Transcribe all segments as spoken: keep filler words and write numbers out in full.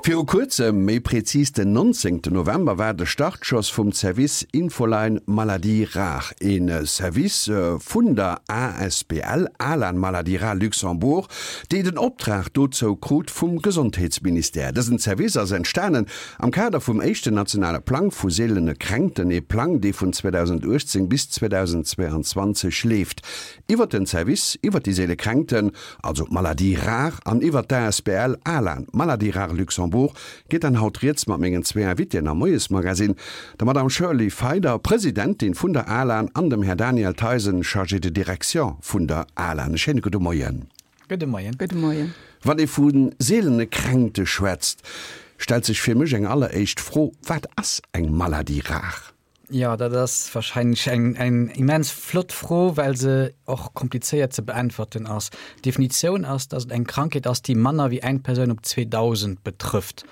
Viru kuerzem, méi prezis den nonzéngten November, war de Startschoss vum Service Infoline Maladies Rares, ee Service vun der asbl Alan Maladies Rares Luxembourg, déi den Optrag dozou krut vum Gesondheetsministère. Dësen Service ass entstanen am Kader vum éischten nationale Plang vu seelene Kränkten, ee Plang, dee vun zweedausendachtzéng bis zweedausendzweeanzwanzeg leeft. Iwwert den Service iwwert déi seele Kränkten, also d'Maladies rares, an iwwert d'asbl Alan Maladies Rares Luxembourg geet dann haut rieds mat mengen zwee Invitéen am Moiesmagazine, der Madame Shirley Feider, Presidentin vun der ALAN, an dem Här Daniel Theisen, Chargé de direction vun der ALAN. E schéine gudde Moien. Gudde Moien. Gudde Moien. Wann ee vu seelene Kränkte schwätzt, stellt sech fir mech eng alleréischt Fro, Wat ass eng Maladie rare? Jo, dat ass wahrscheinlech eng eng immens flott Fro, well se och komplizéiert ze beäntwerten ass. D'Definitioun ass, datt et eng Krankheet ass, déi manner wéi eng Persoun op zweedausend betrëfft.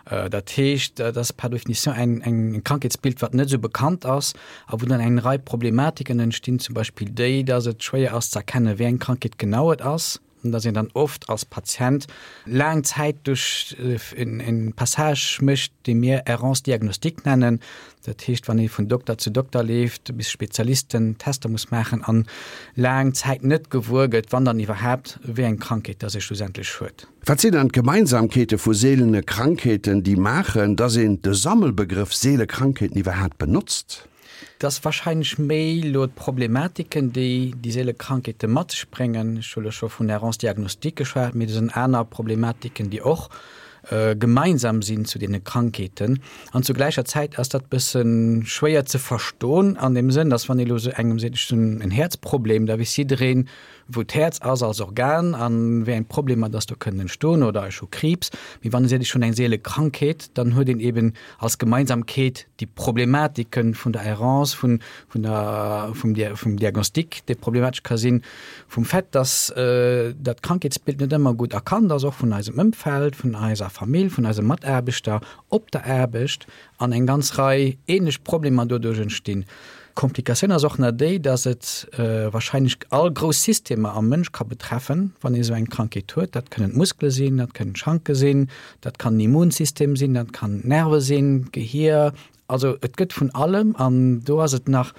Dat heescht, dat ass par définition eng eng Krankheetsbild, wat net esou bekannt ass a wou dann eng Rei Problematiken entstinn, zum Beispill déi, datt et schwéier ass ze erkennen, wéi eng Krankheet genau et ass. An dass een dann oft als Patient laang Zäit duerch en Passage mécht, dee mir Errance diagnostique nennen. Dat heescht, wann ee vun Dokter zu Dokter leeft, bis Spezialisten Tester muss maachen an laang Zäit net gewuer gëtt, wann dann iwwerhaapt, wéi eng Krankheet dass ee schlussendlech huet. Wat sinn dann d'Gemeinsamkeete vu seelene Krankheeten, déi maachen, dass een de Sammelbegrëff seele Krankheeten iwwerhaapt benotzt? Et ass wahrscheinlech méi elo d'Problematiken, déi déi seele Krankheete mat sech bréngen. Ech hu lo scho vun Errance diagnostique geschwat, mee et sinn aner Problematiken, déi och gemeinsam sinn zu deene Krankheeten. An zu gläicher Zäit ass dat bësse schwéier ze verstoen an deem Sënn, dass wann ee lo esou engem seet, ech hunn en Häerzproblem, da weess jiddereen, wou d'Häerz ass als Organ an wéi eng Problemer dass do kënnen entstoen, oder ech hu Kriibs. Mee wann ee seet, ech hunn eng seele Krankheet, dann huet een eben als Gemeinsamkeet déi Problematike vun der Errance, vun, vun der, vum, vum Diagnostic, dee problematesch ka sinn, vum Fait, dass dat Krankheetsbild net ëmmer gutt erkannt ass, och vun eisem Ëmfeld, vun eiser Famill, vun eise Mataarbechter op der Aarbecht, an eng ganz Rei ähnlech Problemer doduerch entstinn. D'Komplikatioun ass och nach déi, dass et wahrscheinlech all grouss Systemer am Mënsch ka betreffen, wann ee sou eng Krankheet huet. Dat kënnen d'Muskele sinn, dat kënnen d'Schanke sinn, dat kann den Immunsystem sinn, dat kann d'Nerve sinn, d'Gehier. Also et gëtt vun allem an do ass et nach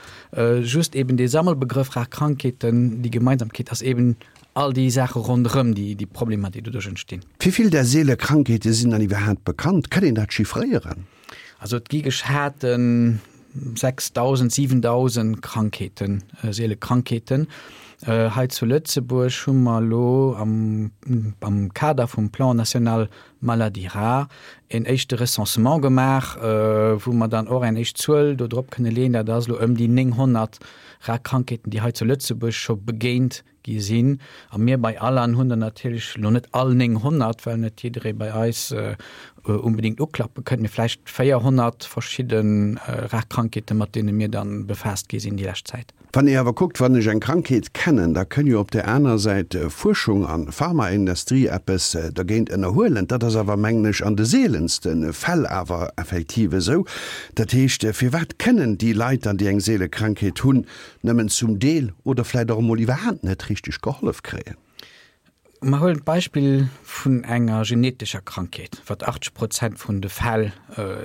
just eben dee Sammelbegrëff rar Krankheeten. Déi Gemeinsamkeet ass eben all déi Saache ronderëm, déi déi Problemer, déi doduerch entstinn. Wéi vill där seele Krankheete sinn dann iwwerhaapt bekannt? Kann een dat chiffréieren? Also et gi geschaten sechsdausend, siwendausend Krankheeten, seele Krankheeten. Hei zu Lëtzebuerg hu mer elo am am Kader vum Plan national maladies rares en éischte Recensement gemaach, wou mer dann och eng éischt Zuel do drop kënne leeën. Dat ass elo ëm déi nénghonnert rar Krankheeten, déi hei zu Lëtzebuerg scho begéint gi sinn. A mir bei Alan hunn der natierlech elo net all nénghonnert, well net jidderee bei eis unbedéngt uklappe kënnt, mee vläicht véierhonnert verschidde rar Krankheeten, mat deene mir da befaasst gi sinn déi lescht Zäit. Wann ee awer kuckt, wann ech eng Krankheet kennen, da kënn jo op där aner Säit Fuerschung an Pharmaindustrie eppes dergéint ënnerhuelen. Dat ass awer, mengen ech, an de seelenste Fäll awer effektiv esou. Dat heescht, firwat kënnen déi Leit dann, déi eng seele Krankheet hunn, nëmmen zum Deel oder vläit och emol iwwerhaapt net richteg gehollef kréien? Mer huelen d'Beispill vun enger genetescher Krankheet, wat achtzeg Prozent vun de Fäll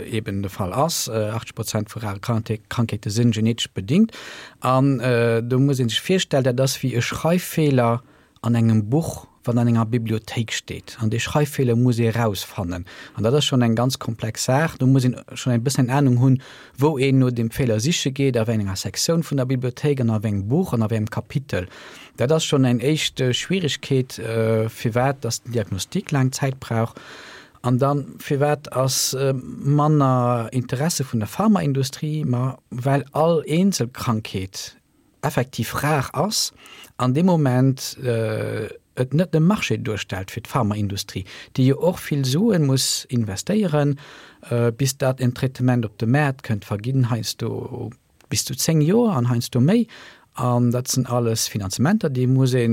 eben de Fall ass. Achtzeg Prozent vu rare Krankheete sinn genetesch bedingt. An do muss ee sech virstellen, dat ass wéi e Schreiffeeler an engem Buch, wat an enger Bibliothéik steet. An dee Schreiffeeler muss ee erausfannen. An dat ass schonn eng ganz komplex Saach. Do muss een schonn eng bëssen Anung hunn, wou een no deem Feeler siche geet, a wéi enger Sektioun vun der Bibliothéik an a wéi engem Buch an a wéi engem Kapitel. Dat ass schonn eng éischt Schwieregkeet, firwat dass den Diagnostic laang Zäit brauch. An dann, firwat ass manner Interesse vun der Pharmaindustrie? Ma well all eenzel Krankheet effektiv rar ass an dee Moment et net e Marché duerstellt fir d'Pharmaindustrie, déi jo och vill Sue muss investéieren, bis dat en Traitement op de Maart kënnt, verginn heiansdo bis zu zéng Joer an heiansdo méi. An dat sinn alles Finanzementer, déi muss ee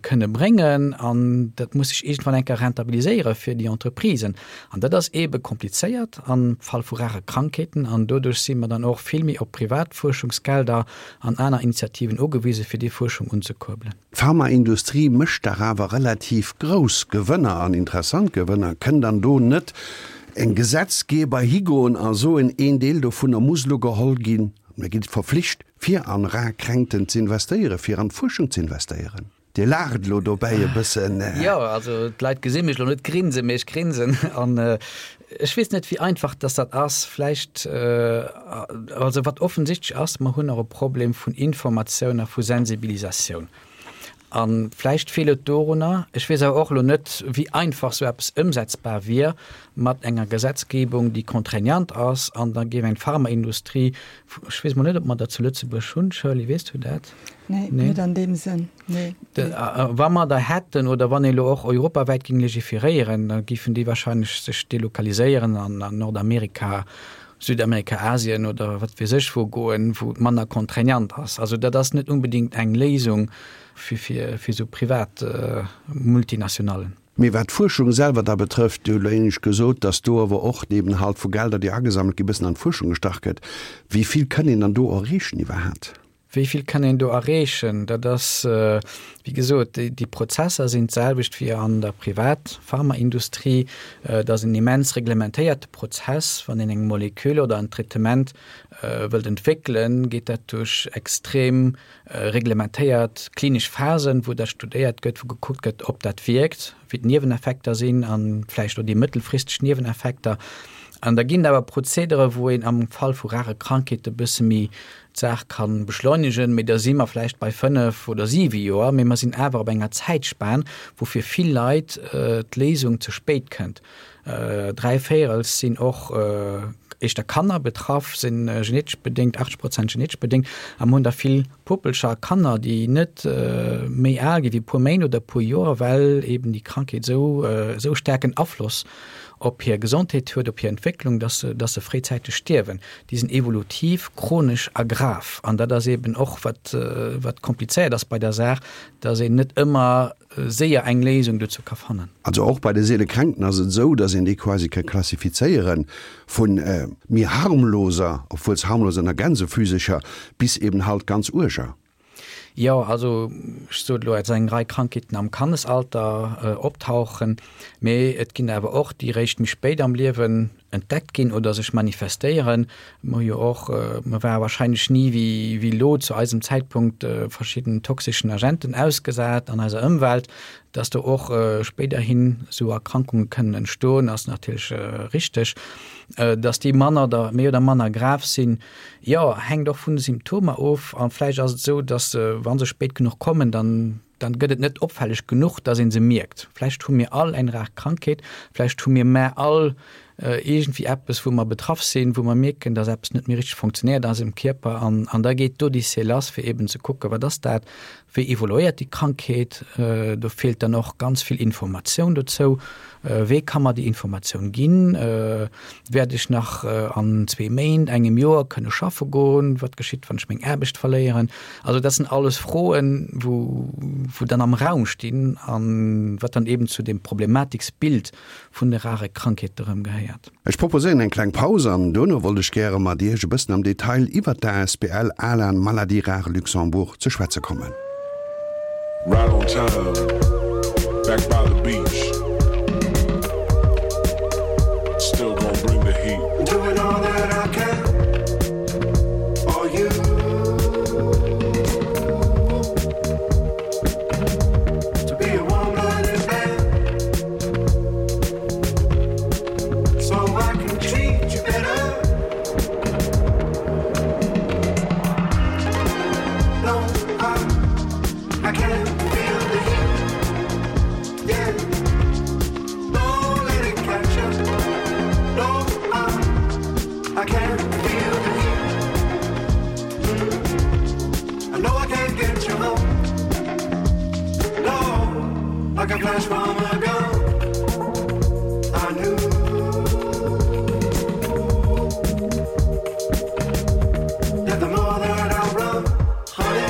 kënne bréngen an dat muss sech iergendwann eng Kéier rentabiliséiere fir déi Entreprisen. An dat ass eebe komplizéiert am Fall vu rare Krankheeten an doduerch si mer dann och vill méi op privat Fuerschungsgelder an aner Initiativen ugewise fir déi Fuerschung unzekuerbelen. D'Pharmaindustrie mécht dach awer relativ grouss Gewënner an interessant Gewënner. Kënn dann do net en Gesetzgeber higoen a soen, een Deel dovunner muss elo geholl ginn, mir gi verflicht, fir an rar Kränkten ze investéieren, fir an d'Fuerschung ze investéieren? Dir laacht elo dobäi e bëssen. Jo, also d'Leit gesi mech elo net grinsen, mee ech grinsen. An ech weess net, wéi einfach dass dat ass. Vläicht, also wat offensichtlech ass, mer hunn och e Problem vun Informatioun a vu Sensibilisatioun. A vläicht feelt et dorunner. Ech weess awer och elo net, wéi einfach esou eppes ëmsetzbar wier mat enger Gesetzgebung, déi contraignant ass, an da géif eng Pharmaindustrie, ech weess mol net, ob mer dat zu Lëtzebuerg hunn, Shirley, weess du dat? Nee, net an deem Sënn, nee. Wa mer der hätten oder wann ee elo och europawäit géing legiferéieren, da géifen déi wahrscheinlech sech delokaliséieren an Nordamerika, Südamerika, Asien oder wat weess ech wou goen, wou et manner contraignant ass. Also dat ass net unbedéngt eng Léisung fir fir fir esou privat Multinationallen. Mee wat d'Fuerschung selwer da betrëfft, Dir hutt elo éinescht gesot, datt do awer och eben halt vu Gelder, déi agesammelt ginn, bëssen an d'Fuerschung gestach gëtt. Wéi vill kënn een dann do erreechen iwwerhaapt? Wéi vill kann een do erreechen? Dat ass, wéi gesot, déi Prozesser sinn d'selwecht wéi an der Privat-Pharmaindustrie. Et ass en immens reglementéierte Prozess. Wann een eng Molekül oder en Traitement wëllt entwéckelen, geet dat duerch extrem reglementéiert klinesch Phasen, wou dat studéiert gëtt, wou gekuckt gëtt, ob dat wierkt, wéi d'Nieweneffekter sinn a vläicht och déi mëttelfristeg Nieweneffekter. An da ginn et awer Prozedere, wou een am Fall vu rare Krankheete bësse méi d'Saach ka beschleunegen, mee da si mer vläicht bei fënnef oder siwe Joer, mee mer sinn awer op enger Zäitspan, wou fir vill Leit d'Léisung ze spéit kënnt. Dräi Véirels sinn och éischter Kanner betraff, si genetesch bedéngt, achtzeg Prozent genetesch bedéngt, a mer hunn da vill Puppelcher a Kanner, déi net méi al gi wéi e puer Méint oder e puer Joer, well eeben déi Krankheet esou esou staarken Afloss op hir Gesondheet huet, op hir Entwécklung, dass se, dass se fréizäiteg stierwen. Déi sinn evolutiv, chronesch a grav. An dat ass eeben och, wat, wat komplizéiert ass bei der Saach, dass een net ëmmer séier eng Léisung dozou ka fannen. Also och bei de seele Kränkten ass et esou, dass een déi quasi ka klassifizéiere vu méi harmloser, obwuel se harmlos ënner Gänsefüsecher, bis eben halt ganz uerger. Jo, also ech sot elo, et sinn eng Rei Krankheeten am Kannesalter optauchen, mee et ginn awer och déi réischt méi spéit am Liewen entdeckt ginn oder sech manifestéieren. Mer hu jo och, mer ware wahrscheinlech ni wéi wéi elo zu eisem Zäitpunkt verschidden toxeschen Agenten ausgesat an eiser Ëmwelt. Dass do och spéiderhin esou Erkrankunge kënnen entstoen, ass natierlech richteg. Dass déi manner oder méi oder manner grav sinn, jo, hänkt och vun de Symptomer of. A vläicht ass et esou, dass se, wa se spéit genuch kommen, dann, dann gëtt et net opfälleg genuch, dass ee se mierkt. Vläicht hu mir all eng rar Krankheet, vläicht hu mir mä all iergendwéi eppes, wou mer betraff sinn, wou mer mierken, dass eppes net méi richteg funktionéiert an eisem Kierper. An, an da geet d'Odyssee lass, fir eeben ze kucken, wat ass dat, wéi evoluéiert déi Krankheet. Do feelt dann och ganz vill Informatioun dozou. Wee ka mer déi Informatioun ginn? Wäert ech nach an zwee Méint, engem Joer kënne schaffe goen? Wat geschitt, wann ech meng Aarbecht verléieren? Also dat sinn alles Froen, wou, wou dann am Raum stinn an wat dann eeben zu deem Problematiksbild vun de rare Krankheete rëm gehéiert. Ech proposéieren eng kleng Paus an dono wollt ech gäre mat Iech e bëssen am Detail iwwert d'ASBL Alan Maladie Rare Luxembourg ze schwätze kommen. Right on time, back by the beach. Still gonna bring the heat. Doing all that I can for you. To be a warm-blooded man, so I can treat you better. No, I, I can't feel the heat. Yeah, don't let it catch up. No, I, I can't feel the heat. Mm. I know I can't get you home. No, like a flash from a gun. I knew that the more that I run, honey,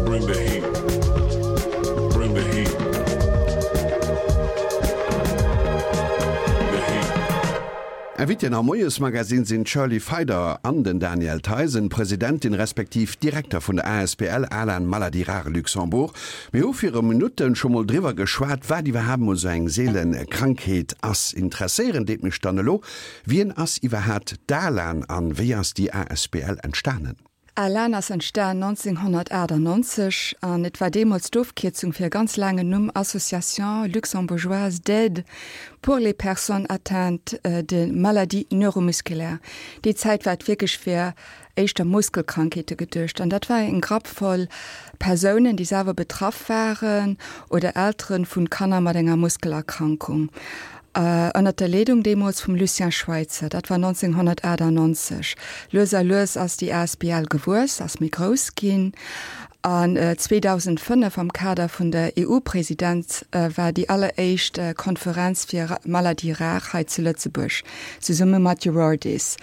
Bring the heat. Bring the heat. The heat. Invitén am Moiesmagazin sinn d'Shirley Feider an den Daniel Theisen, Presidentin respektiv Direkter vun der asbl Alan Maladies Rares Luxembourg. Mir hu viru Minutten scho mol driwwer geschwat, wat iwwerhaapt mol sou eng seelen Krankheet ass. Interesséieren deet mech dann elo, Wien ass iwwerhaapt d'Alan an wéi ass déi asbl entstanen? Alan ass entstan nonzénghonnertachtannonzeg an et war deemools d'Ofkierzung fir e ganz laangen Numm Association luxembourgeoise d'aide pour les personnes atteintes de maladies neuromusculaires. Déi Zäit war et wierklech fir éischter Muskelkrankheete geduecht an dat war eng Grapp voll Persounen, déi selwer betraff waren oder Eltere vu Kanner mat enger Muskelerkrankung. Ënnert der Leedung deemools vum Lucien Schweitzer, dat war nonzénghonnertachtannonzeg. Lues a lues ass déi asbl gewuess, ass méi grouss ginn an zweedausendfënnef am Kader vun der E U-Presidenz war déi alleréischt Konferenz fir Maladies rares hei zu Lëtzebuerg, zesumme mat Eurordis.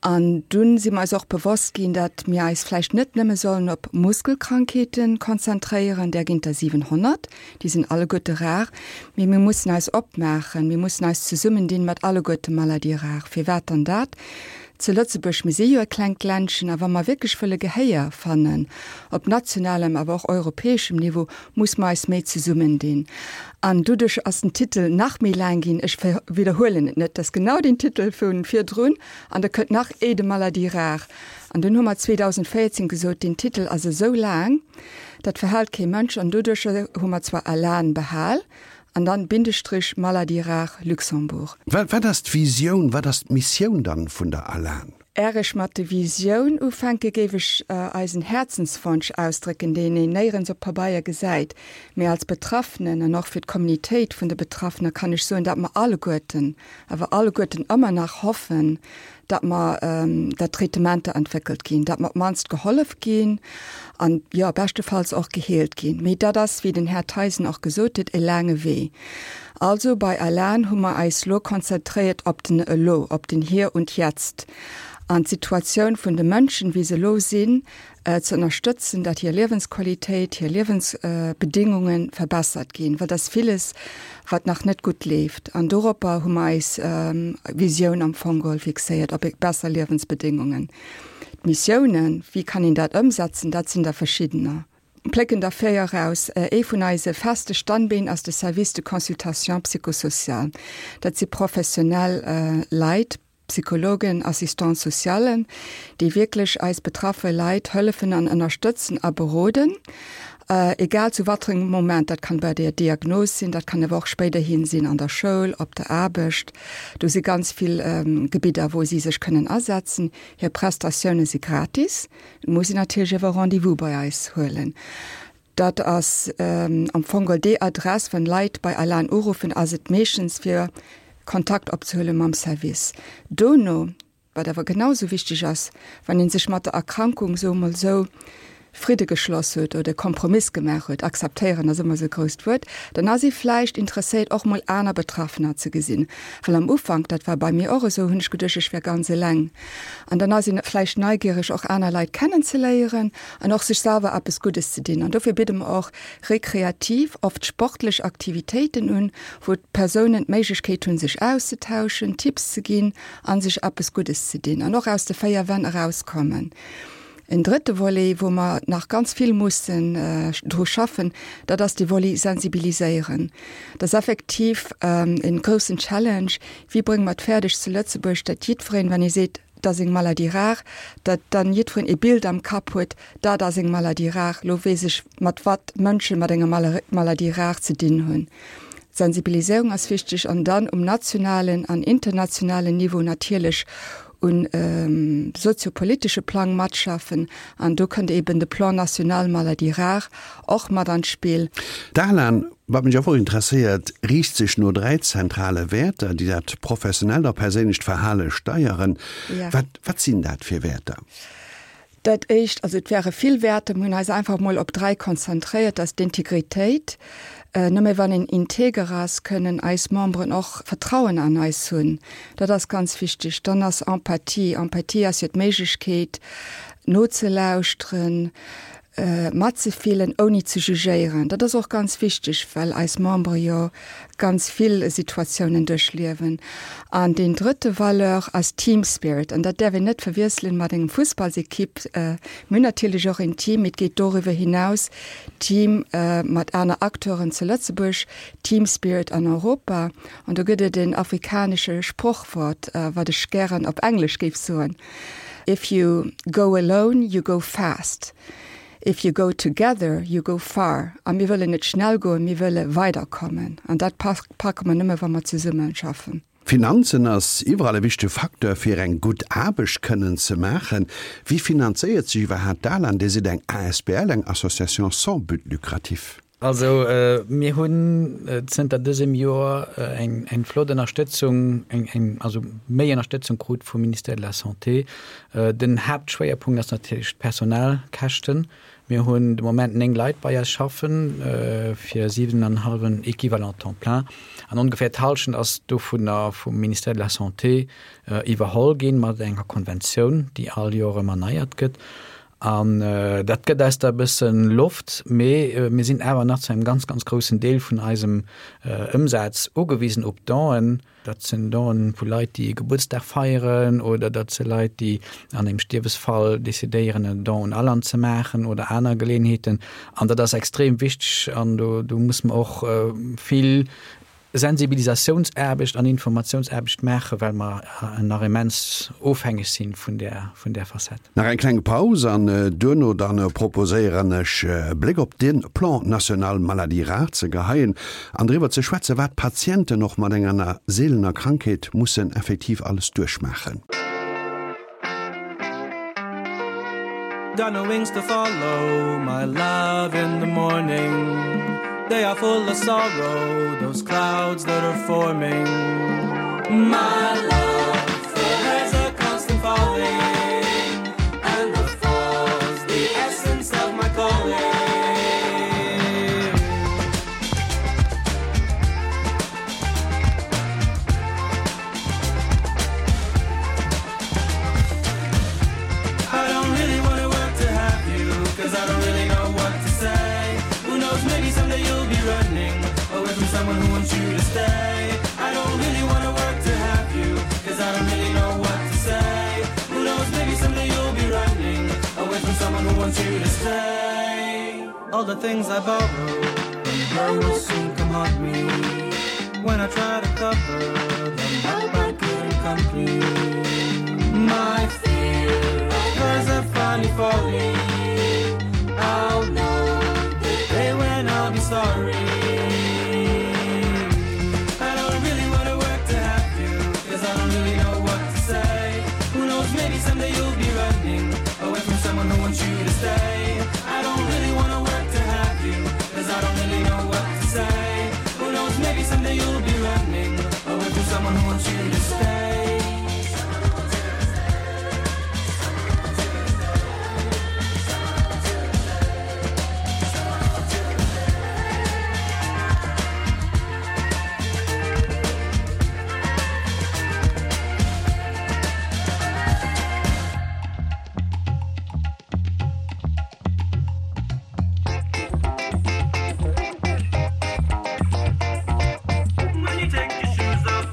An dunn si mer eis och bewosst ginn, datt mir eis vläicht net nëmme sollen op Muskelkrankheete konzentréieren, där ginn der siwenhonnert, déi sinn alleguerte rar, mee mir mussen eis opmaachen, mir mussen eis zesummendinn mat alleguerte Maladies rares. Firwat dann dat? Zu Lëtzebuerg, mir si jo e klengt Ländchen, a wa mer wierklech wëlle Gehéier fannen, op nationalem, awer och europäeschem Niveau, muss mer eis méi zesummendinn. An doduerch ass den Titel nach méi laang ginn, ech widderhuelen et net, dat ass genau den Titel vu virdrun, an da kënnt nach Aide maladies rares. An dunn hu mer zweedausendvéierzéng gesot, deen Titel ass esou laang, dat verhält kee Mënsch, an doduerch hu mer zwar ALAN behal, an dann Bindestrich Maladies rares Luxembourg. Wat ass d'Visioun, wat ass d'Missioun dann vun der ALAN? Är ech mat de Visioun ufänke géif ech eisen Häerzenswonsch ausdrécken, deen een néierens op Pabeier gesäit, mee als Betraffenen an och fir d'Communitéit vun de Betraffene kann ech soen, datt mer alleguerten, awer alleguerten ëmmer nach hoffen, datt mer, datt Traitementer entwéckelt ginn, datt mer op d'mannst gehollef ginn an, jo, beschtefalls och geheelt ginn. Mee dat ass, wéi den Här Theisen och gesot huet, e laange Wee. Also bei ALAN hu mer eis lo konzentréiert op den Elo, op den Hier und Jetzt an d'Situatioun vun de Mënschen, wéi se elo sinn, ze ënnerstëtzen, datt hir Liewensqualitéit, hir Liewensbedéngunge verbessert ginn, well et ass villes, wat nach net gutt leeft. An doropper hu mer eis Visioun am Fong geholl fixéiert, op besser Liewensbedéngungen. D'Missiounen, wéi kann een dat ëmsetzen, dat sinn der verschiddener. Plécken der véier eraus. Ee vun eise feste Standbeen ass de Service de consultation psychosociale. Dat si professionell Leit, Psychologen, Assistants socialen, déi wierklech eis betraffe Leit hëllefen an ënnerstëtzen a beroden, egal zu watterengem Moment. Dat kann bei der Diagnos sinn, dat kann awer och spéiderhin sinn an der Schoul, op der Aarbecht. Do si ganz vill Gebidder, wou si sech kënnen asetzen. Hir Prestatioune si gratis, et muss een natierlech awer Rendez-vous bei eis huelen. Dat ass am Fong geholl déi Adress, wann Leit bei Alan uruffen, ass et meeschtens fir Kontakt opzehuele mam Service. Dono, wat awer genau sou wichteg ass, wann ee sech mat der Erkrankung, soe mol sou, Fridde geschloss huet oder e Kompromiss gemaach huet, akzeptéieren ass ëmmer esou e grousst Wuert, dann ass ee vläicht interesséiert och mol aner Betraffener ze gesinn. Well am Ufank, dat war bei mir och esou, hunn ech geduecht, ech wär ganz eleng. An dann ass een vläicht neigiereg och aner Leit kennenzeléieren an och sech selwer eppes Guddes ze dinn. An dofir bidde mer och rekreativ, oft sportlech Aktivitéiten un, wou d'Persounen d'Méiglechkeet hunn, sech auszetauschen, Tipps ze ginn a sech eppes Guddes ze dinn an och aus de véier Wänn erauskommen. En drëtte Volet, wou mer nach ganz vill mussen dru schaffen, dat ass de Volet sensibiliséieren. Dat ass effektiv en groussen Challenge. Wéi brénge mer et fäerdeg zu Lëtzebuerg, datt jiddwereen, wann ee seet, dat ass eng Maladie rare, datt dann jiddwereen e Bild am Kapp huet, dat ass eng Maladie rare, lo weess ech, mat wat Mënsche mat enger Maladie rare ze dinn hunn. D'Sensibiliséierung ass wichteg an dann um nationalen an internationalen Niveau natierlech um soziopolitesche Plang matschaffen an do kënnt eben de Plan national maladies rares och mat an d'Spill. D'Alan, wat mech och interesséiert, riicht sech no dräi zentrale Wäerter, déi dat professionellt a perséinlecht Verhale steieren. Wat, wat sinn dat fir Wäerter? Dat éischt, also et wäre vill Wäerter, mir hunn eis einfach mol op dräi konzentréiert, dat ass d'Integritéit. Nëmme wann een integer ass, kënnen eis Memberen och Vertrauen an eis hunn. Dat ass ganz wichteg. Dann ass Empathie. Empathie ass jo d'Méiglechkeet nozelauschteren, matzefillen, ouni ze jugéieren. Dat ass och ganz wichteg, well eis Membere jo ganz vill Situatiounen duerchliewen. An deen drëtte Valeur ass Team Spirit. An dat däerf een net verwiesselen mat engem Fussballsekipp. Mir hunn natierlech och een Team, mee et geet doriwwer hinaus, Team mat aner Acteuren zu Lëtzebuerg, Team Spirit an Europa. An do gëtt et en afrikanesche Sprochwort, wat ech gären op Englesch géif soen, If you go alone, you go fast. If you go together, you go far. A mir wëllen net schnell goen, mir wëlle weiderkommen. An dat packe mer nëmme, wa mer zesumme schaffen. Finanzen ass iwwerall e wichtege Facteur fir eng gutt Aarbecht kënnen ze maachen. Wéi finanzéiert sech iwwerhaapt d'ALAN? Dir sidd eng asbl, eng Association sans but lucratif. Also mir hunn zënter dësem Joer eng eng flott Ënnerstëtzung, eng eng also méi Ënnerstëtzung krut vum Ministère de la Santé. Den Haaptschwéierpunkt ass natierlech d'Personalkäschten. Mir hunn de Moment néng Leit bei eis schaffen fir siwen an en hallwen Equivalent temps plein an ongeféier d'Hallschent ass dovunner vum Ministère de la Santé iwwerholl ginn mat enger Konventioun, déi all Joer erëm erneiert gëtt. An dat gëtt eis da e bësse Loft, mee mir sinn awer nach zu engem ganz, ganz groussen Deel vun eisem Ëmsaz ugewisen op Donen. Dat sinn Donen vu Leit, déi e Gebuertsdag feieren oder dat si Leit, déi an engem Stierwesfall decidéieren, en Don un Alan ze maachen oder aner Geleeënheeten. An dat ass extrem wichteg an do, do muss mer och vill Sensibilisatiounsaarbecht an Informatiounsaarbecht maachen, well mer nach immens ofhängeg si vun där, vun där Facette. Nach eng kleng Paus an duerno dann proposéieren ech e Bléck op de Plan national maladies rares ze geheien an driwwer ze schwätzen, wat d'Patienten och mat enger seelener Krankheet mussen effektiv alles duerchmaachen. Got no wings to follow my love in the morning They are full of sorrow, those clouds that are forming My love, there's a constant falling And the fall's the essence of my calling I don't really wanna work to have you Cause I don't really know what to say Who knows, maybe someday you'll be running Away from someone who wants you to stay I don't really wanna work to have you Cause I don't really know what to say Who knows, maybe someday you'll be running Away from someone who wants you to stay All the things I borrow From her will soon come haunt me When I try to cover them up I couldn't complete My fear of hers are finally falling I'll know the day when I'll be sorry I don't really wanna work to have you Cause I don't really know what to say Who knows, maybe someday you'll be running Away from someone who wants you to stay I don't really wanna work to have you Cause I don't really know what to say Who knows, maybe someday you'll be running Away from someone who wants you to stay When you take your shoes off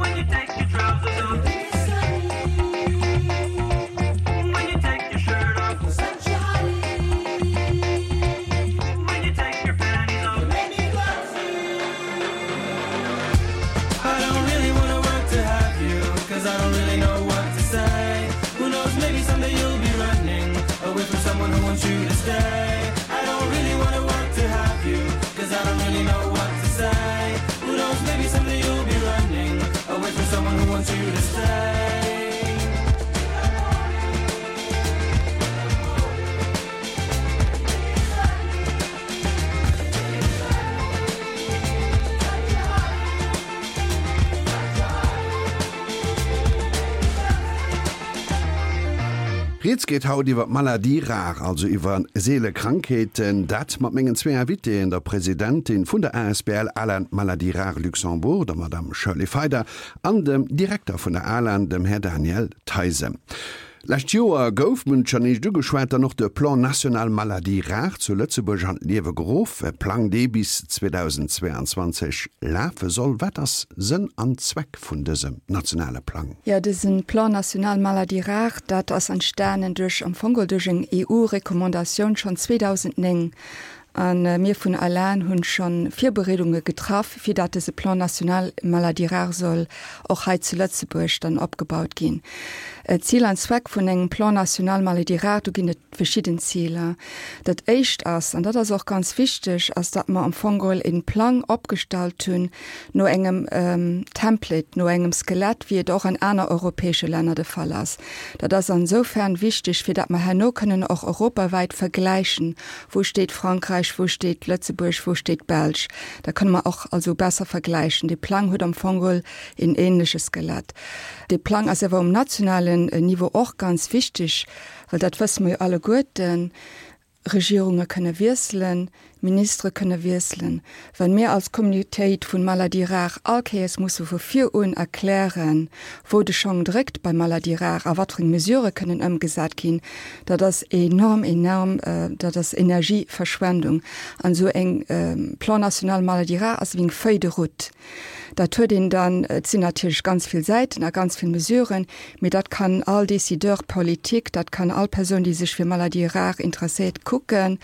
When you take your trousers off When you take your shirt off When you take your panties off I don't really wanna work to have you Cause I don't really know what to say Who knows, maybe someday you'll be running Away from someone who wants you to stay I don't really wanna work to have you Cause I don't really know what to say Who knows, maybe someday you'll be running Away from someone who wants you to stay Rieds geet haut iwwer d'Maladies rares, also iwwer seele Krankheeten. Dat mat mengen zwee Invitéen, der Presidentin vun der asbl ALAN Maladies Rares Luxembourg, der Madame Shirley Feider, an dem Direkter vun der ALAN, dem Här Daniel Theisen. Lescht Joer gouf, mir hunn et schonn éischt ugeschwat, dann och de Plan national maladies rares zu Lëtzebuerg an d'Liewe geruff, e Plang, dee bis zweedausendzweeanzwanzeg lafe soll. Wat ass Sënn an Zweck vun dësem nationale Plang? Jo, dëse Plan national maladies rares, dat ass entstanen duerch, am Fong geholl duerch eng EU-Recommandatioun schonn zweedausendnéng. A mir vun ALAN hunn scho Virbereedunge getraff, fir dat dëse Plan national maladies rares soll och hei zu Lëtzebuerg dann opgebaut ginn. Zil an Zweck vun engem Plan national maladies rares, do ginn et verschidden Ziler. Dat éischt ass, an dat ass och ganz wichteg, ass dat mer am Fong geholl e Plang opgestallt hunn no engem Template, no engem Skelett, wéi et och an aner europäesche Länner de Fall ass. Dat ass ansoufern wichteg, fir dat mer herno kënnen och europawäit vergläichen, Wou steet Frankräich, wou steet Lëtzebuerg, wou steet d'Belsch? Da kënne mer och also besser vergläichen. Dee Plang huet am Fong geholl een ähnleche Skelett. Dee Plang ass awer um nationalen Niveau och ganz wichteg, well dat wësse mer jo alleguerten, Regierunge kënne wiesselen, Ministere kënne wiesselen. Wa mir als Communautéit vun Maladies rares all Kéiers musse vu vir un erklären, wou de Schong dréckt bei Maladies rares a wat fir eng Mesurë kënnen ëmgesat ginn, dat ass enorm, enorm, dat ass Energieverschwendung. An esou eng Plan national maladies rares ass ewéi eng Feuille de route. Dat huet een dann, et sinn natierlech ganz vill Säiten a ganz vill Mesuren, mee dat kann all Décideur politique, dat kann all Persoun, déi sech fir Maladies rares interesséiert, kucken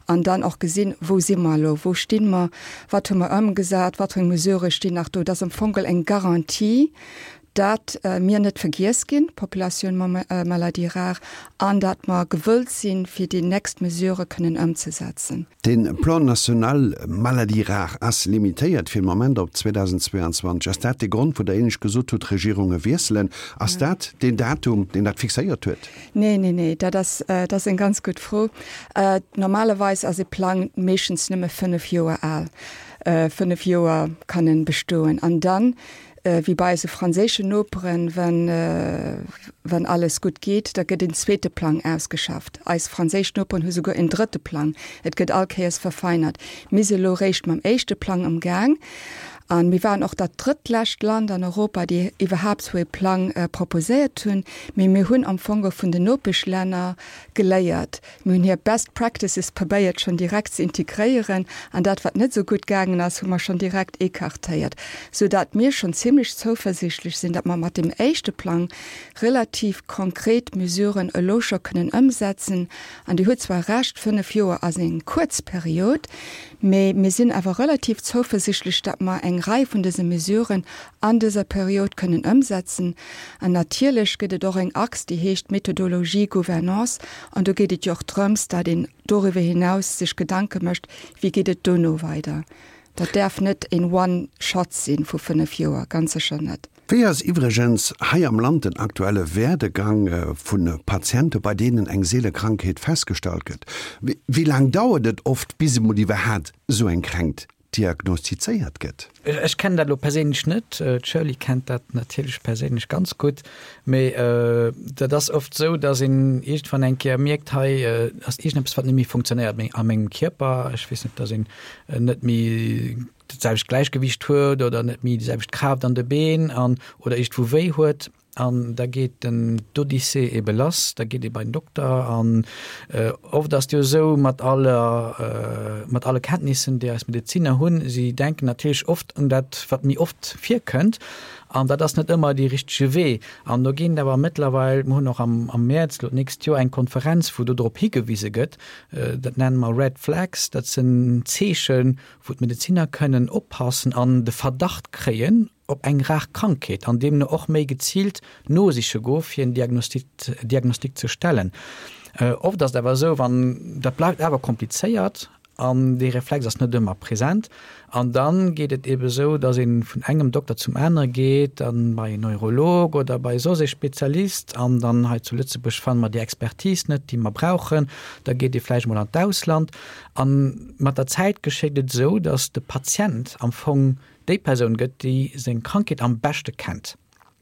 an dann och gesinn, wou si mer elo, wou sti mer, wat hu mer ëmgesat, wat fir eng Mesurë stinn nach do. Dat ass am Fong eng Garantie, dat mir net vergiess ginn, d'Populatioun mam Maladies rares, an dat mer gewëllt sinn, fir déi nächst Mesurë kënnen ëmzesetzen. De Plan national maladies rares ass limitéiert fir de Moment op zweedausendzweeanzwanzeg. Ass dat de Grond, wou Der éinescht gesot hutt, d'Regierunge wiesselen? Ass dat deen Datum, deen dat fixéiert huet? Nee, nee, nee, dat ass, dat ass eng ganz gutt Fro. Normalerweis ass e Plang meeschtens nëmme fënnef Joer al. Fënnef Joer kann en bestoen. An dann wéi bei eise franséischen Noperen, wenn, wenn alles gutt geet, da gëtt en zweete Plang ausgeschafft. Eis franséisch Noperen hu souguer en drëtte Plang. Et gëtt all Kéiers verfeinert. Mir si elo réischt mam éischte Plang am Gaang. An mir waren och dat drëttlescht Land an Europa, déi iwwerhaapt sou e Plang proposéiert hunn. Mee mir hunn am Fong vun den Nopeschlänner geléiert. Mir hunn hir Best Practices probéiert schonn direkt ze integréieren an dat, wat net esou gutt gaangen ass, hu mer schonn direkt écartéiert, sou dat mir schonn zimlech zouversiichtlech sinn, dat mer mat deem éischte Plang relativ konkret Mesuren elo scho kënnen ëmsetzen. An Dir hutt zwar Recht, fënnef Joer ass eng kuerz Period, mee mir sinn awer relativ zouversiichtlech, dat mer eng Rei vun dëse Mesuren an dëser Period kënnen ëmsetzen. An natierlech gëtt et och eng Achs, déi heescht Méthodologie, Gouvernance, an do geet et jo och drëms, datt een doriwwer hinaus sech Gedanke mécht, wéi geet et dono weider. Dat däerf net een One shot sinn vu fënnef Joer, ganz sécher net. Wéi ass iwwregens hei am Land den aktuelle Werdegang vu Patiente bei deenen eng seele Krankheet festgestallt gëtt? Wéi laang dauert et oft bis emol iwwerhaat esou eng Kränkt diagnostizéiert gëtt? Ech kennen dat elo perséinlech net, d'Shirley kennt dat natierlech perséinlech ganz gutt, mee dat ass oft esou, datt een iergendwann eng Kéier mierkt, hei ass iergendeppes wat net méi funktionéiert a mengem Kierper, ech weess net, datt een net méi dat selwecht Gläichgewicht huet oder net méi déi selwecht Kraaft an de Been an oder iergendwou wéi huet. An da geet den d'Odyssee ebe lass, da geet ee bei den Dokter an oft ass et jo esou mat aller, mat alle Kenntnissen, déi eis Medezinner hunn, si denken natierlech oft un dat, wat méi oft virkënnt an dat ass net ëmmer dee richtege Wee. An do ginn et awer mëttlerweil, mer hunn och am am Mäerz elo d'nächst Joer eng Konferenz, wou do drop higewise gëtt, dat nenne mer Red Flags, dat sinn Zeechen, wou d'Medezinner kënnen oppassen an de Verdacht kréien, op eng rar Krankheet an deemno och méi geziilt nosiche goe fir en Diagnostic ze stellen. Oft ass et awer esou, wann dat bleift awer komplizéiert an dee Reflex ass net ëmmer present an dann geet et eebe esou, datt ee vun engem Dokter zum anere geet, dann bei en Neurolog oder bei soss ee Spezialist an dann hei zu Lëtzebuerg fanne mer déi Expertise net, déi mer brauchen, da geet ee vläicht mol an d'Ausland an mat der Zäit geschéit et esou, datt de Patient am Fong déi Persoun gëtt, déi seng Krankheet am beschte kennt.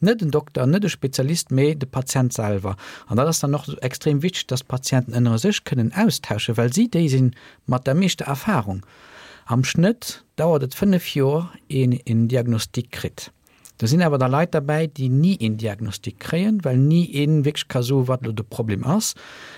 Net en Dokter, net e Spezialist, mee de Patient selwer. An dat ass dann och extrem wichteg, dass d'Patienten ënnere sech kënnen austauschen, well si déi sinn mat der meeschter Erfahrung. Am Schnëtt dauert et fënnef Joer, een een Diagnostic kritt. Do sinn awer da Leit derbäi, déi ni een Diagnostic kréien, well ni ee wierklech ka soen, wat elo de Problem ass,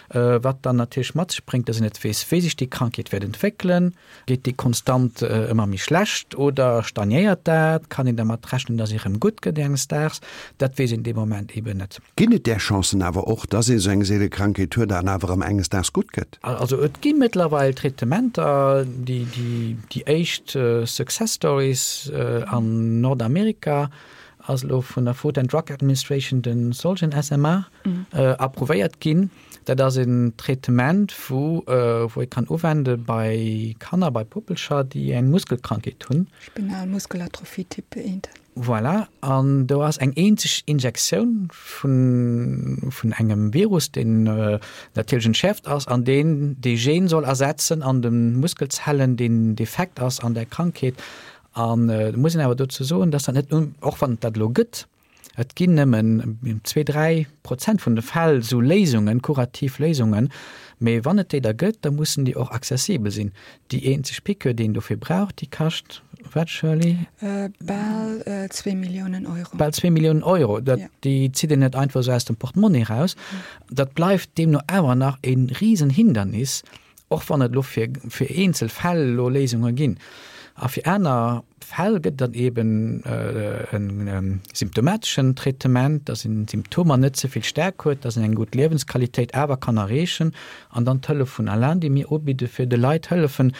wat dann natierlech mat sech bréngt, dass een net weess, wéi sech déi Krankheet wäert entwéckelen. Geet déi konstant ëmmer méi schlecht oder stagnéiert dat? Kann een dermat rechnen, dass se erëm gutt gëtt enges Daags? Dat weess een dee Moment eeben net. Ginn et där Chancen awer och, dass ee sou eng seele Krankheet huet an awer erëm enges Daags gutt gëtt? Also et gi mëttlerweil Traitementer, déi déi éischt Success Stories an Nordamerika ass elo vun der Food and Drug Administration de Zolgensma approuvéiert ginn. Dat ass en Traitement, wou wou ee kann uwende bei Kanner, bei Puppelcher, déi eng Muskelkrankheet hunn. Spinal Muskelatrophie Typ eent. Voilà, an do ass eng eenzeg Injektioun vun vun engem Virus, deen natierlech entschäerft ass an deen dee Gen soll ersetzen an de Muskelzellen, deen defekt ass an der Krankheet. An et muss een awer dozou soen, dass dat net, och wann et dat elo gëtt, et ginn nëmmen zwee, dräi Prozent vun de Fäll esou Léisungen, kurativ Léisungen, mee wann et déi da gëtt, da mussen déi och accessibel sinn. Déi eenzeg Piqûre, déi een dofir brauch, déi kascht wat, Shirley? Bal zwee Milliounen Euro. Bal zwee Milliounen Euro. Dat, déi zitt een net einfach esou aus dem Portemonnaie eraus. Dat bleift deemno awer nach e Risenhindernis, och wann et elo fir, fir eenzel Fäll elo Léisunge ginn. A fir aner Fäll gëtt dann eben e symptomateschen Traitement, dass een d'Symptomer net ze vill staark huet, dass een eng gutt Liewensqualitéit awer kann erreechen. An dann d'Hëllef vun Alain, déi mir ubidde fir de Leit hëllefen,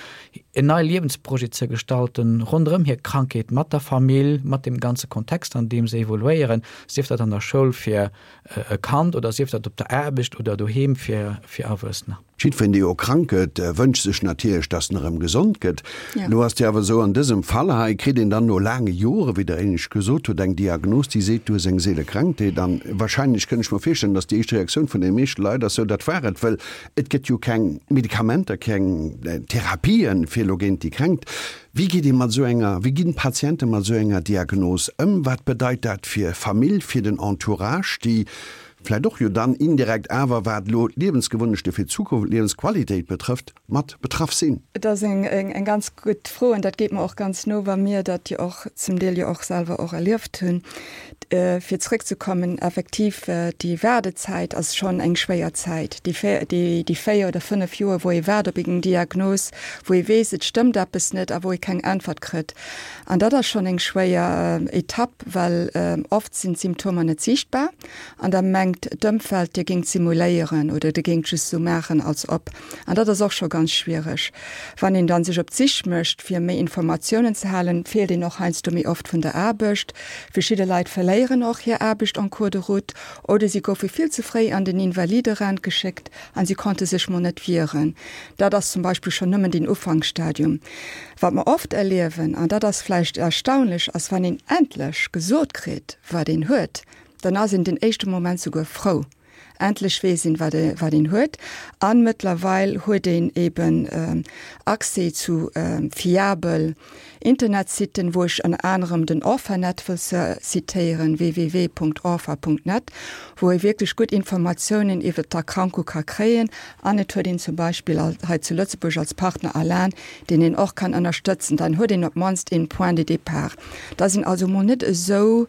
en neie Liewensprojet ze gestalten ronderëm hir Krankheet, mat der Famill, mat deem ganze Kontext, an deem se evoluéieren, sief dat an der Schoul fir e Kand oder sief dat op der Aarbecht oder doheem fir Erwuessener. Jiddwereen, dee jo krank gëtt, wënscht sech natierlech, dass en erëm gesond gëtt. Elo ass et jo awer esou, an dësem Fall hei kritt een dann no laange Jore, wéi Der éinescht gesot hutt, eng Diagnos, déi seet, du hues eng Seelekrankheet. An wahrscheinlech kënn ech mer virstellen, dass déi éischt Reaktioun vun de meeschte Leit ass, Sou, dat war et, well et gëtt jo keng Medikamenter, keng Therapien, fir elo géint déi Kränkt. Wéi geet ee mat esou enger, wéi ginn d'Patiente mat esou enger Diagnos ëm? Wat bedeit dat fir Famill, fir den Entourage, déi vläicht och jo dann indirekt awer, wat elo d'Liewensgewunnechte fir d'Zukunft, d'Liewensqualitéit betrëfft, mat betraff sinn? Et ass eng ganz gutt Fro an dat geet mer och ganz no, well mir dat jo och zum Deel jo och selwer och erlieft hunn. Fir zrëckzekommen, effektiv, déi Waardezäit ass schonn eng schwéier Zäit, déi véier oder fënnef Joer, wou ee waart op eng Diagnos, wou ee weess, et stëmmt eppes net a wou ee keng Äntwert kritt. An dat ass schonn eng schwéier Etapp, well oft sinn d'Symptomer net siichtbar an da mengt d'Ëmfeld, Dir géingt simuléieren oder Dir géingt just esou maachen, als ob. An dat ass och scho ganz schwiereg. Wann een dann sech op d'Sich mécht, fir méi Informatiounen ze halen, feelt een och heiansdo méi oft vun der Aarbecht. Verschidde Leit verléieren och hir Aarbecht en cours de route oder si goufe vill ze fréi an den Invaliderent geschéckt an si konnte sech mol net wieren. Dat ass zum Beispill schonn nëmmen den Ufanksstadium. Wat mer oft erliewen, an dat ass vläicht erstaunlech, ass wann een endlech gesot kritt, wat een huet, dann ass een den éischte Moment souguer frou. Endlech weess een, wat e, wat een huet. An mëttlerweil huet een eben Accès zu fiabel Internetsitten, wou ech ënner anerem den Orphanet wëll zitéieren, www.orpha.net, wou ee wierklech gutt Informatiounen iwwer d'Erkrankung ka kréien. An et huet een zum Beispill hei zu Lëtzebuerg als Partner Alan, deen een och kann ënnerstëtzen. Dann huet een op d'mannst een Point de départ. Da sinn also mol net esou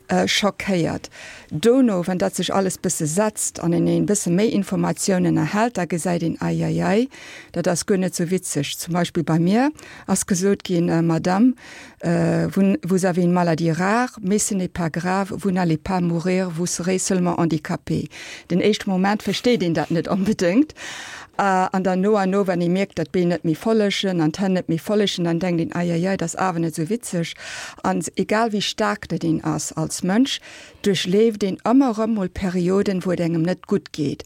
schockéiert. Dono, wann dat sech alles bësse setzt an een een bësse méi Informatiounen erhält, da gesäit een, Eieiei, dat ass guer net sou witzeg. Zum Beispill bei mir ass gesot ginn, Madame, vous, vous avez une maladie rare, mais ce n'est pas grave, vous n'allez pas mourir, vous serez seulement handicapée. Den éischte Moment versteet een dat net onbedéngt. An dann no an no, wann ee mierkt, datt d'Been net méi follegen an d'Hänn net méi follegen, dann denkt een, Eieiei, dat ass awer net sou witzeg. An egal wéi staark dat een ass als Mënsch, duerchleeft een ëmmer erëm mol Perioden, wou et engem net gutt geet.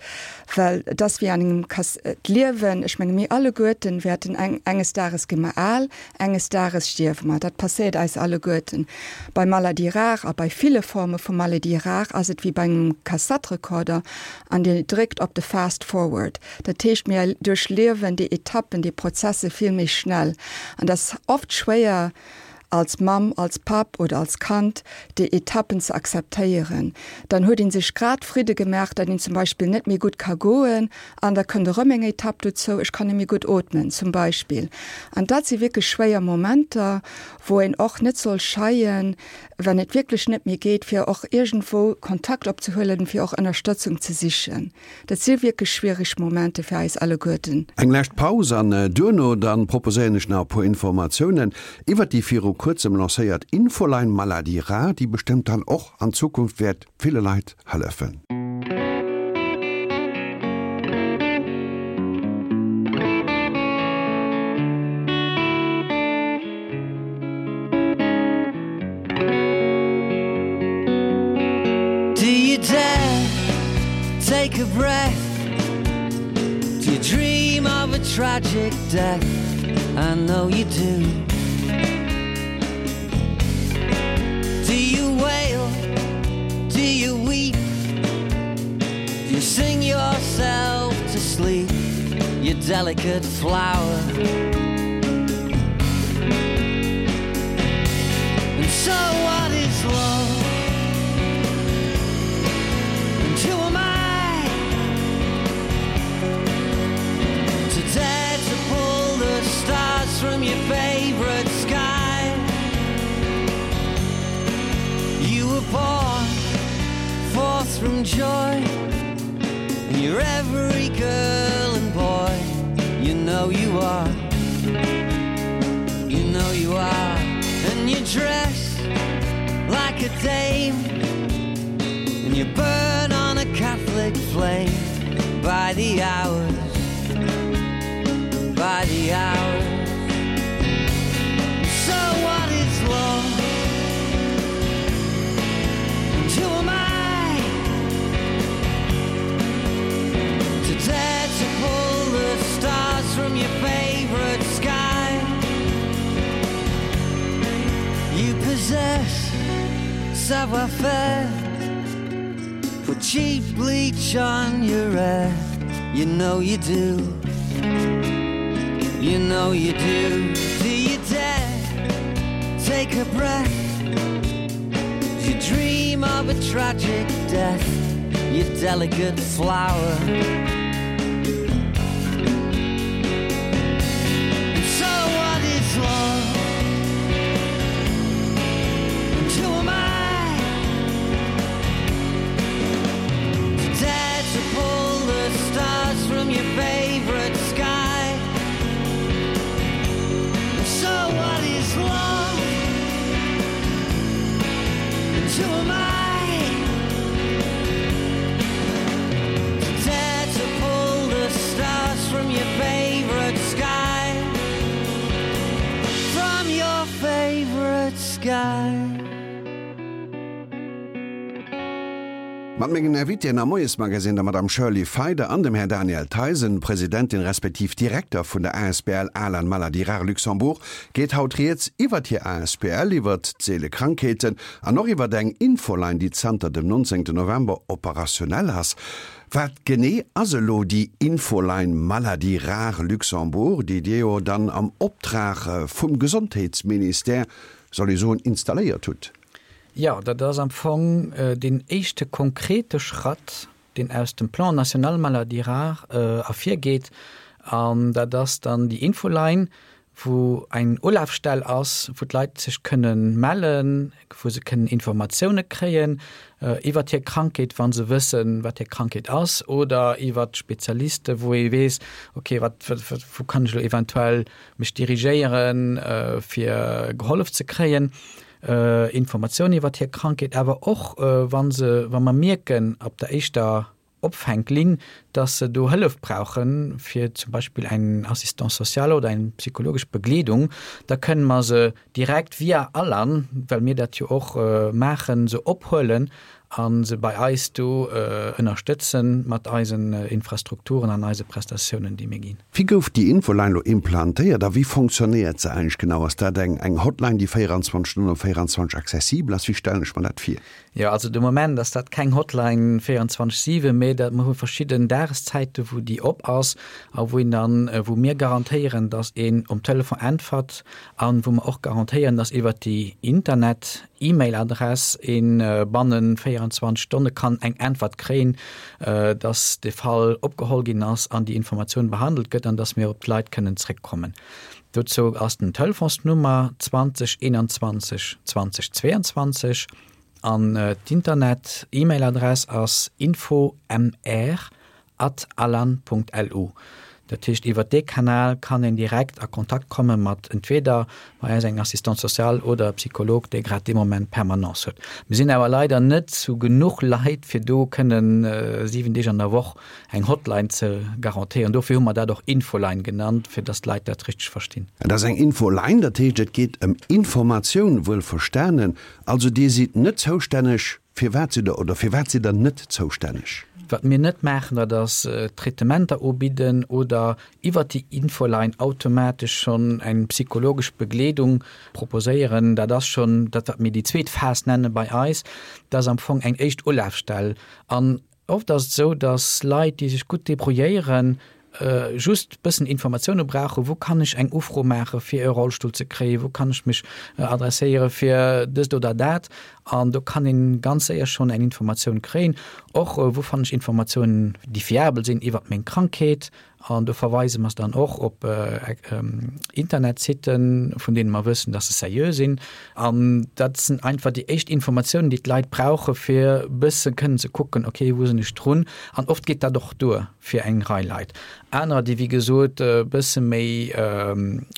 Well et ass wéi an engem Kas, d'Liewen, ech menge mir alleguerten wäerten eng, enges Dages gi mer al, enges Dages stierwe mer. Dat passéiert eis alleguerten. Bei Maladies rares a bei ville Forme vu Maladies rares ass et wéi bei engem Kassettrekorder an Dir dréckt op de Fast Forward. Dat heescht, mir duerchliewen déi Etappen, déi Prozesse vill méi schnell. An et ass oft schwéier, als Mamm, als Papp oder als Kand, déi Etappen ze akzeptéieren. Dann huet ee sech grad Fridde gemaach, datt een zum Beispill net méi gutt ka goen an da kënnt erëm eng Etapp dozou, ech kann net méi gutt ootmen zum Beispill. An dat si wierklech schwéier Momenter, wou een och net soll scheien, wann et wierklech net méi geet, fir och iergendwou Kontakt opzehuelen, fir och Ënnerstëtzung ze sichen. Dat si wierklech schwiereg Momenter fir eis alleguerten. Eng lescht Paus an duerno dann proposéieren ech nach e puer Informatiounen iwwert déi viru kuerzem lancéiert Infoline Maladie rare, déi bestëmmt dann och an Zukunft wäert ville Leit hëllefen. Do you dare take a breath? Do you dream of a tragic death? I know you do. Do you wail? Do you weep? Do you sing yourself to sleep? You delicate flower. And so what is love? And who am I to dare to pull the stars from your favorite sky? You were born forth from joy, and you're every girl and boy. You know you are. You know you are, and you dress like a dame, and you burn on a Catholic flame by the hours, by the hours. So what is love? And who am I to dare to pull the stars from your favorite sky? You possess savoir faire. Put cheap bleach on your hair. You know you do. You know you do. Do you dare take a breath? Do you dream of a tragic death? You delicate flower. And so what is love? And who am I to dare to pull the stars from your favorite sky? And so what is love? And who am I to dare to pull the stars from your favorite sky? From your favorite sky. Mat mengen Invitéen am Moiesmagazin, der Madame Shirley Feider an dem Här Daniel Theisen, Presidentin respektiv Direkter vun der asbl Alan Maladie Rare Luxembourg, geet haut rieds iwwert hir asbl, iwwert d'seele Krankheeten an och iwwert eng Infoline, déi zanter dem nonzéngten November operationell ass. Wat genee ass elo déi Infoline Maladie Rare Luxembourg, déi Dir jo dann am Optrag vum Gesondheetsministère, soll ee soen, installéiert hutt? Jo, dat ass am Fong deen éischte konkrete Schratt, deen aus dem Plan national maladies rares ervirgeet. An dat ass dann déi Infoline, wou eng Ulafstell ass, wou d'Leit sech kënnen mellen, wou se kënnen Informatioune kréien iwwert hir Krankheet, wa se wëssen, wat hir Krankheet ass, oder iwwert Spezialiste, wou ee weess, okay, wat, wou kann ech elo eventuell mech dirigéieren, fir gehollef ze kréien. Informatioun iwwert hir Krankheet, awer och wa se, wa mer mierken op der éischter Opfänklinn, dass se do Hëllef brauchen, fir zum Beispill eng Assistance sociale oder eng psychologesch Begleedung, da kënnen mer se direkt via Alan, well mir dat jo och maachen, se ophuelen a se bei eis do ënnerstëtzen mat eisen Infrastrukturen an eise Prestatiounen, déi mir ginn. Wéi gouf déi Infoline elo implantéiert a wéi fonctionnéiert se eigentlech genau? Ass dat eng eng Hotline, déi véierundzwanzeg Stonnen op véierundzwanzeg accessibel ass? Wéi stellen ech mer dat vir? Jo, also de Moment ass dat keng Hotline véierundzwanzeg siwen, mee dat mer hu verschidden Dageszäite wou déi op ass a wou een dann, wou mir garantéieren, datt een um Telefon äntwert an wou mer och garantéieren, datt iwwert déi Internet E-Mail-Adress een bannen véierundzwanzeg Stonne kann eng Äntwert kréien, dass de Fall opgeholl ginn ass an déi Informatioun behandelt gëtt an dass mir op d'Leit kënnen zréckkommen. Dozou ass den Telefonsnummer zwanzeg eenanzwanzeg zwanzeg zweiundzwanzeg an d'Internet-E-Mail-Adress ass info m r at alan punkt l u. Dat heescht, iwwer dee Kanal kann een direkt a Kontakt komme mat entweder bei eis eng Assistante sociale oder e Psycholog, dee grad dee Moment Permanence huet. Mir sinn awer leider net zu genuch Leit, fir do kënnen siwen Deeg an der Woch eng Hotline ze garantéieren. Dofir hu mer dat och Infoline genannt, fir dass d'Leit dat richteg verstinn. Et ass eng Infoline, dat heescht, et geet ëm Informatioun, wuel verstanen. Also Dir sidd net zoustänneg. Firwat sidd Der oder firwat sidd Der net zoustänneg? Wat mir net maachen, dat ass Traitementer ubidden oder iwwert déi Infoline automatesch schonn eng psychologesch Begleedung proposéieren. Dat ass schonn dat, wat mir déi zweet Phas nenne bei eis. Dat ass am Fong eng éischt Ulafstell. An oft ass et esou, dass Leit, déi sech gutt debrouilléieren, just bëssen Informatioune brauchen, wou kann ech eng Ufro maache fir e Rollstull ze kréien, wou kann ech mech adresséiere fir dëst oder dat. An do kann een ganz séier schonn eng Informatioun kréien. Och wou fannen ech Informatiounen, déi fiabel sinn iwwert meng Krankheet. An do verweise mer dann och op Internetsitten, vun deene mer wëssen, dass se seriö sinn. An dat sinn einfach déi éischt Informatiounen, déi d'Leit brauche fir bësse kënnen ze kucken, okay, wou sinn ech drun. An oft geet dat och duer fir eng Rei Leit. Anerer, déi wéi gesot e bësse méi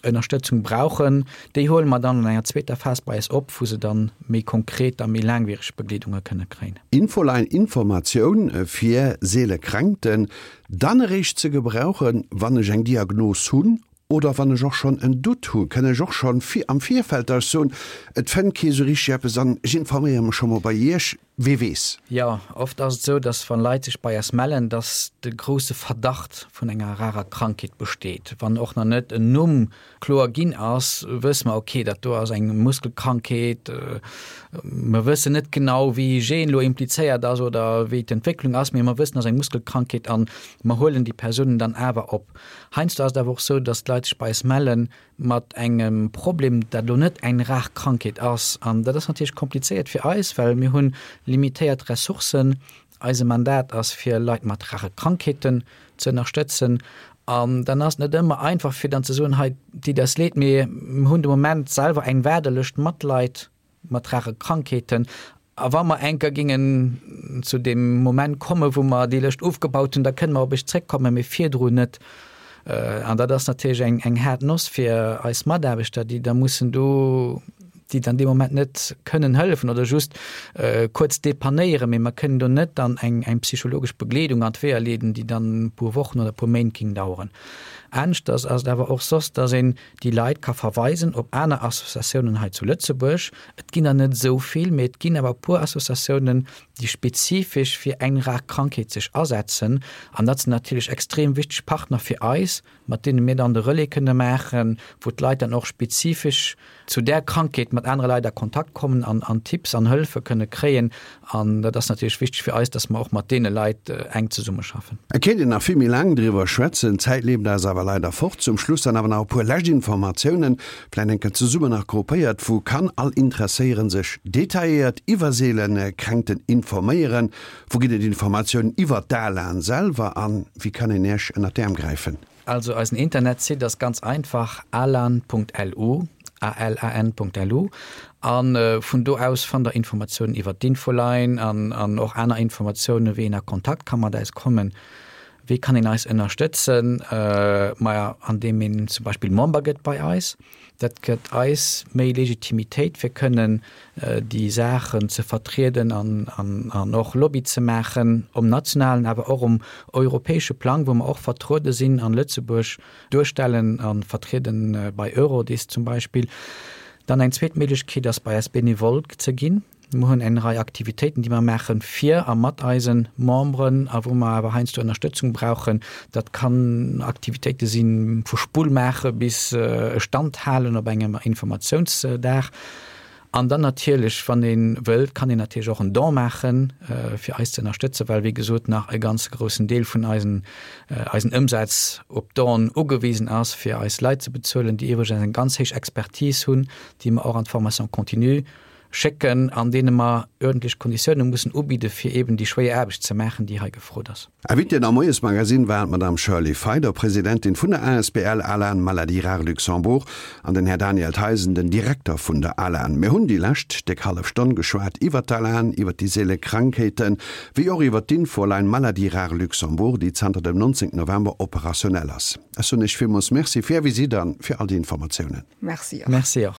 Ënnerstëtzung brauchen, déi huele mer dann an enger zweeter Phas bei eis op, wou se dann méi konkret a méi laangwiereg Begleedunge kënne kréien. Infoline, Informatioun fir seele Kränkten, dann eréischt ze gebrauchen, wann ech eng Diagnos hunn oder wann ech och schonn en Doute hunn? Kënn ech och schonn am Virfeld da soen, et fënnt kee sou richteg eppes an ech informéiere mech scho mol bei Iech? Wee weess? Jo, oft ass et esou, dass wann Leit sech bei eis mellen, dass de grousse Verdacht vun enger rarer Krankheet besteet. Wann och nach net en Numm kloer ginn ass, wësse mer, okay, dat do ass eng Muskelkrankheet, mer wëssen net genau, wéi ee Gen elo implizéiert ass oder wéi d'Entwécklung ass, mee mer wëssen, et ass eng Muskelkrankheet an mer huelen déi Persounen dann awer op. Heiansdo ass et awer och esou, dass d'Leit sech bei eis mellen mat engem Problem, dat elo net eng rar Krankheet ass. An dat ass natierlech komplizéiert fir eis, well mir hunn limitéiert Ressourcen. Eise Mandat ass, fir Leit mat rare Krankheeten ze ënnerstëtzen. An dann ass et net ëmmer einfach, fir dann ze soen, hei, deet eis leed, mee mir hunn de Moment selwer eng Waardelëscht mat Leit mat rare Krankheeten. A wa mer eng Kéier gingen zu deem Moment kommen, wou mer déi Lëscht ofgebaut hunn, da kënne mer op Iech zréckkommen, mee virdrun net. An dat ass natierlech eng, eng haart Noss fir eis Mataarbechter, déi da mussen do, déi dann dee Moment net kënnen hëllefen oder just kuerz depannéieren, mee mer kënnen do net dann eng, eng psychologesch Begleedung an d'Weeër leeden, déi dann e puer Wochen oder e puer Méint géing daueren. Aneschters ass et awer och soss, dass een déi Leit ka verweisen op aner Associatiounen hei zu Lëtzebuerg. Et ginn der net esou vill, mee et ginn awer e puer Associatiounen, déi spezifesch fir eng rar Krankheet sech asetzen. An dat sinn natierlech extrem wichteg Partner fir eis, mat deene mir dann de Relais kënne maachen, wou d'Leit dann och spezifesch zu där Krankheet mat anere Leit a Kontakt kommen an an Tipps an Hëllefe kënne kréien. An dat ass natierlech wichteg fir eis, dass mer och mat deene Leit enk zesummeschaffen. Et kéint een nach vill méi laang driwwer schwätzen, d'Zäit leeft eis awer leider fort. Zum Schluss dann awer nach e puer lescht Informatiounen, vläicht eng Kéier zesummen nach gruppéiert, Wou kann all Interesséieren sech detailléiert iwwer seelen Kränkten informéieren? Wou ginn et Informatiounen iwwer d'ALAN selwer a wéi kann een Iech ënnert d'Äerm gräifen? Also eisen Internetsite ass ganz einfach, alan.lu, A L A N Punkt L U, a vun do aus fannt der Informatiounen iwwer d'Infoline an an och aner Informatiounen, wéi een a Kontakt ka mat eis kommen. Wéi kann een eis ënnerstëtzen? Maja, andeem een zum Beispill Member gëtt bei eis. Dat gëtt eis méi Legitimitéit, fir kënnen déi Saachen ze vertrieden an, an, an och Lobby ze maachen um nationalen, awer och um europäesche Plang, wou mer och vertruede sinn an Lëtzebuerg duerstellen a vertrieden bei Eurodis zum Beispill. Dann eng zweet Méiglechkeet ass, bei eis Benevole ze ginn. Mer hunn eng Rei Aktivitéiten, déi mer maache fir a mat eise Memberen a wou mer awer heiansdo Ënnerstëtzung brauchen. Dat kann Aktivitéite si vu Spull maache bis e Stand halen op engem Informatiounsdag. An dann natierlech, wann ee wëllt, kann een natierlech och en Don maachen, fir eis ze ënnerstëtzen, well wéi gesot nach e ganz groussen Deel vun eisen eisen Ëmsaz op Donen ugewisen ass, fir eis Leit ze bezuelen, déi iwwregens eng ganz héich Expertise hunn, déi mer och an d'Formation continue schécken, an deene mer uerdentlech Konditioune mussen ubidde fir eben déi schwéier Aarbecht ze maachen, déi hei gefrot ass. Invitéen am Moiesmagazin waren d'Madame Shirley Feider, Presidentin vun der asbl ALAN Maladies Rares Luxembourg, an den Här Daniel Theisen, den Direkter vun der ALAN. Mir hunn déi lescht déck hallef Stonn geschwat iwwer d'ALAN, iwwer déi seele Krankheeten, wéi och iwwer d'Infoline Maladies Rares Luxembourg, déi zanter dem neunzehnten November operationell ass. Ech soen Iech villmools Merci fir Är Visitt an fir all déi Informatiounen. Merci och. Merci och.